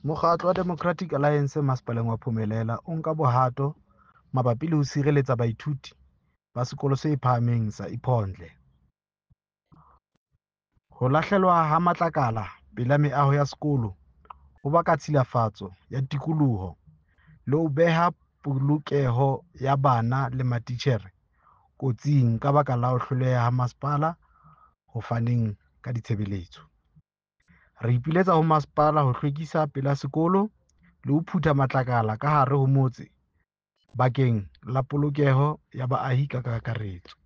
Mokgatlo wa Democratic Alliance masepaleng wa Phumelela o nka bohato mabapi le ho sireletsa baithuti ba sekolo se phahameng sa Iphondle. Ho lahlelwa ha matlakala pela meaho ya sekolo ho baka tshilafatso ya tikoloho le ho beha polokeho ya bana le matitjhere kotsing ka baka la ho hloleha ha masepala ho faneng ka ditshebeletso. Re ipiletsa ho masepala ho hlwekisa pela sekolo le ho phutha matlakala ka hare ho motse bakeng la polokeho ya baahi ka kakaretso.